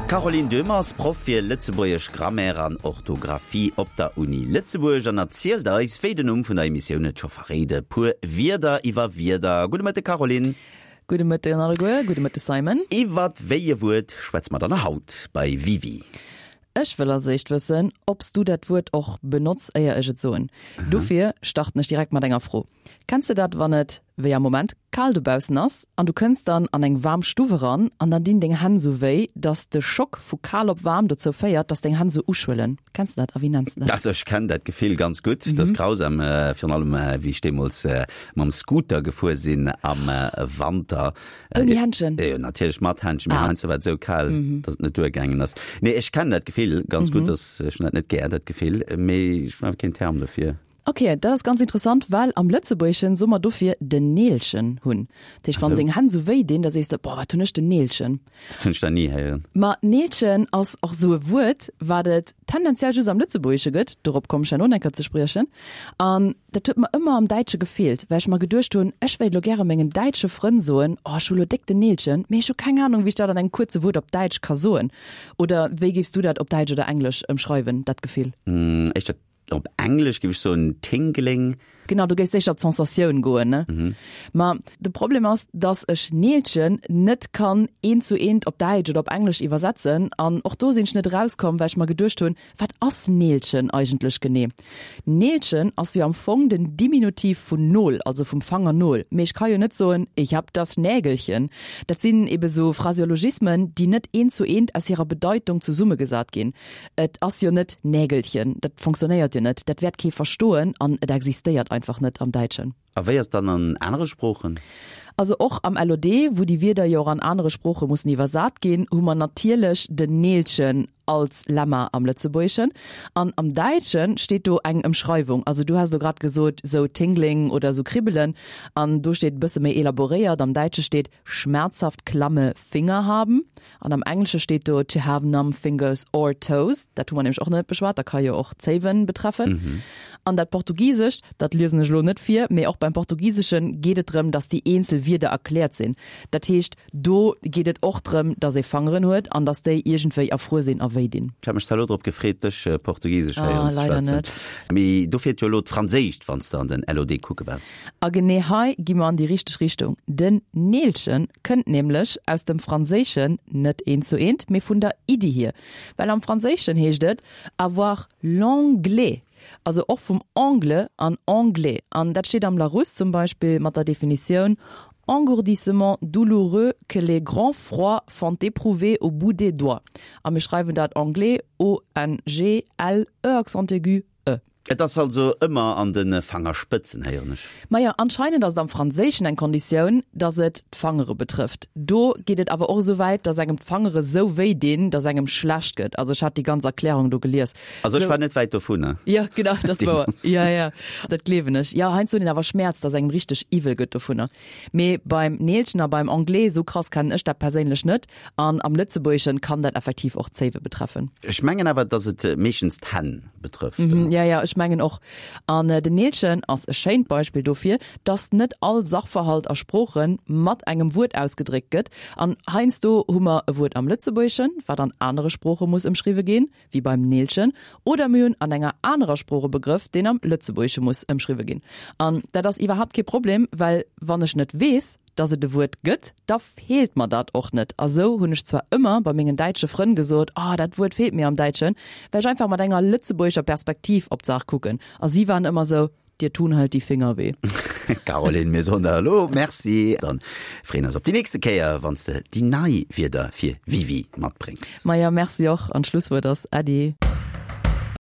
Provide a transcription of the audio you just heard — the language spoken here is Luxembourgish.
D'Caroline Döhmer ass Proff fir lëtzebuergesch Grammaire an Orthografie op der Uni Lëtzebuerg an erzielt eis, wéi den Numm vun der Emissioun et scho verréit, e puer Wierder iwwer Wierder. Gudde Mëtte Caroline. Gudde Mëtten alleguer, gudde Mëtte Simon. Iwwert wéi e Wuert schwätze mer dann haut bei Wiwi? Ech wëll als éischt wëssen, ob s du dat Wuert och benotz, éier ech et soen. Dofir starten ech direkt mat enger Fro. Kenns de dat, wann et, wéi am Moment, kal dobaussen ass an du kënns dann an eng waarm Stuff eran an dann dinn deng Hänn sou wéi, dass de Schock vu kal op waarm dozou féiert, dass deng Hänn sou uschwëllen? Kenns de dat a wéi nenns de dat? Also ech kennen dat Gefill ganz gutt. Dat ass grausam, virun allem wéi ech deemools mam Scooter gefuer sinn am Wanter. Ouni Händchen? Jo, natierlech mat Händchen, mee heiansdo war et esou kal, datt et net duergaangen ass. Nee, ech kennen dat Gefill ganz gutt, dass ech hunn dat net gär, dat Gefill, mee ech hunn awer keen Term dofir. Ok, dat ass ganz interessant, well am Lëtzebuergeschen soe mer dofir den Neelchen hunn. Dat heescht, wann deng Hänn esou wéi dinn, da sees de, Boah, wat hunn ech den Neelchen. Dat hunn ech nach ni héieren. Ma Neelchen ass och esou e Wuert, wat et tendenziell just am Lëtzebuergesche gëtt, dorop kommen ech herno enker ze spriechen. An dat huet mer ëmmer am Däitsche gefeelt, well ech mer geduecht hunn, ech wéilt elo gäre mengen däitsche Frënn soen, oh ech hu lo déck den Neelchen, mee ech hu keng Anung, wéi ech dat an engem kuerze Wuert op Däitsch ka soen. Oder wéi géifs du dat op Däitsch oder Englesch ëmschreiwen, dat Gefill? Éischter Op Englesch géif ech soen tingling. Genau, du géifs éischter op d'Sensatioun goen, ne? Ma de Problem ass, dass ech Neelchen net kann eent zu eent op Däitsch oder op Englesch iwwersetzen. An och do sinn ech net erauskomm, well ech mer geduecht hunn, Wat ass Neelchen eigentlech genee? Neelchen ass jo am Fong den Diminutiv vun Nol, also vum Fangernol. Mee ech ka jo net soen, Ich hab das Nägelchen. Dat sinn ebe sou Phraseologismen, déi net eent zu eent aus hirer Bedeitung zesummegesat ginn. Et ass jo net Nägelchen, dat fonctionnéiert jo net, dat wäert kee verstoen an et existéiert einfach net am Däitschen. A wéi ass et dann an anere Sproochen? Also och am LOD, wou déi Wierder jo och an anere Sprooche mussen iwwersat ginn, hu mer natierlech den Neelchen als Lemma am Lëtzebuergeschen. An am Däitsche steet do eng Ëmschreiwung. Also du has elo grad gesot, sou Tingling oder sou Kribbelen. An do steet e bësse méi elaboréiert, am Däitsche steet schmerzhaft klamme Finger haben. An am Englesche steet do to have numb fingers or toes. Dat hu mer nämlech och nach net beschwat, dat ka jo och d'Zéiwen betreffen. An dat Portugisescht, dat liesen ech elo net vir, mee och beim Portugisesche geet et drëm, dass déi eenzel Wierder erkläert sinn. Dat heescht, do geet et och drëm, dass ee Fangeren huet an dass déi iergendwéi erfruer sinn a wéi dinn. Ech hat mech zwar elo drop gefreet, dech Portugisesch héieren ze schwätzen, mee do feelt jo elo d'Franséischt, wann s de an den LOD kucke waars. A genee hei gi mer an déi richteg Richtung. Den Neelchen kënnt nämlech aus dem Franséischen, net eent zu eent, mee vun der Iddi hier. Well am Franséischen heescht et avoir l'anglais, also och vum angle an anglais. An dat steet am Larousse zum Beispill mat der Definitioun, Engourdissement douloureux que les grands froids font éprouver au bout des doigts. A mir schreiwen dat anglais, O-N-G-L-E accent aigu, E. Et ass also ëmmer an de Fangerspëtzen, héieren ech. Majo, anscheinend ass et am Franséischen eng Konditioun, dass et d'Fangere betrëfft. Do geet et awer och esou wäit, dass engem d'Fangere sou wéi dinn, dass engem schlecht gëtt. Also ech hat déi ganz Erklärung do gelies. Also ech war net wäit dovunner. Jo, genau, dat ass wouer. Jo, jo, dat gleewen ech. Jo, heiansdo huet een awer Schmäerz, dass engem richteg iwwel gëtt dovunner. Mee beim Neelchen a beim Anglais, esou krass kennen ech dat perséinlech net. An am Lëtzebuergeschen kann dat effektiv och d'Zéiwe betreffen. Ech mengen awer, dass et meeschtens d'Hänn betrëfft. Jo, jo, ech mengen och. An den Neelchen ass e schéint Beispill dofir, dass net all Sachverhalt a Sprooche mat engem Wuert ausgedréckt gëtt. An heiansdo hu mer e Wuert am Lëtzebuergeschen, wat an anere Sprooche muss ëmschriwwe ginn, wéi beim Neelchen, oder mir hunn an enger anerer Sprooch e Begrëff, deen am Lëtzebuergesche muss ëmschriwwe ginn. An dat ass iwwerhaapt kee Problem, well wann ech net weess, dass et e Wuert gëtt, da feelt mer dat och net. A sou hunn ech zwar ëmmer bei mengen däitsche Frënn gesot, Oh, dat Wuert feelt mir am Däitschen, well ech einfach mat enger lëtzebuergescher Perspektiv op d'Saach kucken. A si waren ëmmer sou, Dir tun halt die Finger weh. Caroline, mir soen der elo Merci an freeën eis op déi nächste Kéier, wann s de déi nei Wierder fir Wiwi matbréngs. Maja, Merci och. An d'Schlusswuert ass Äddi.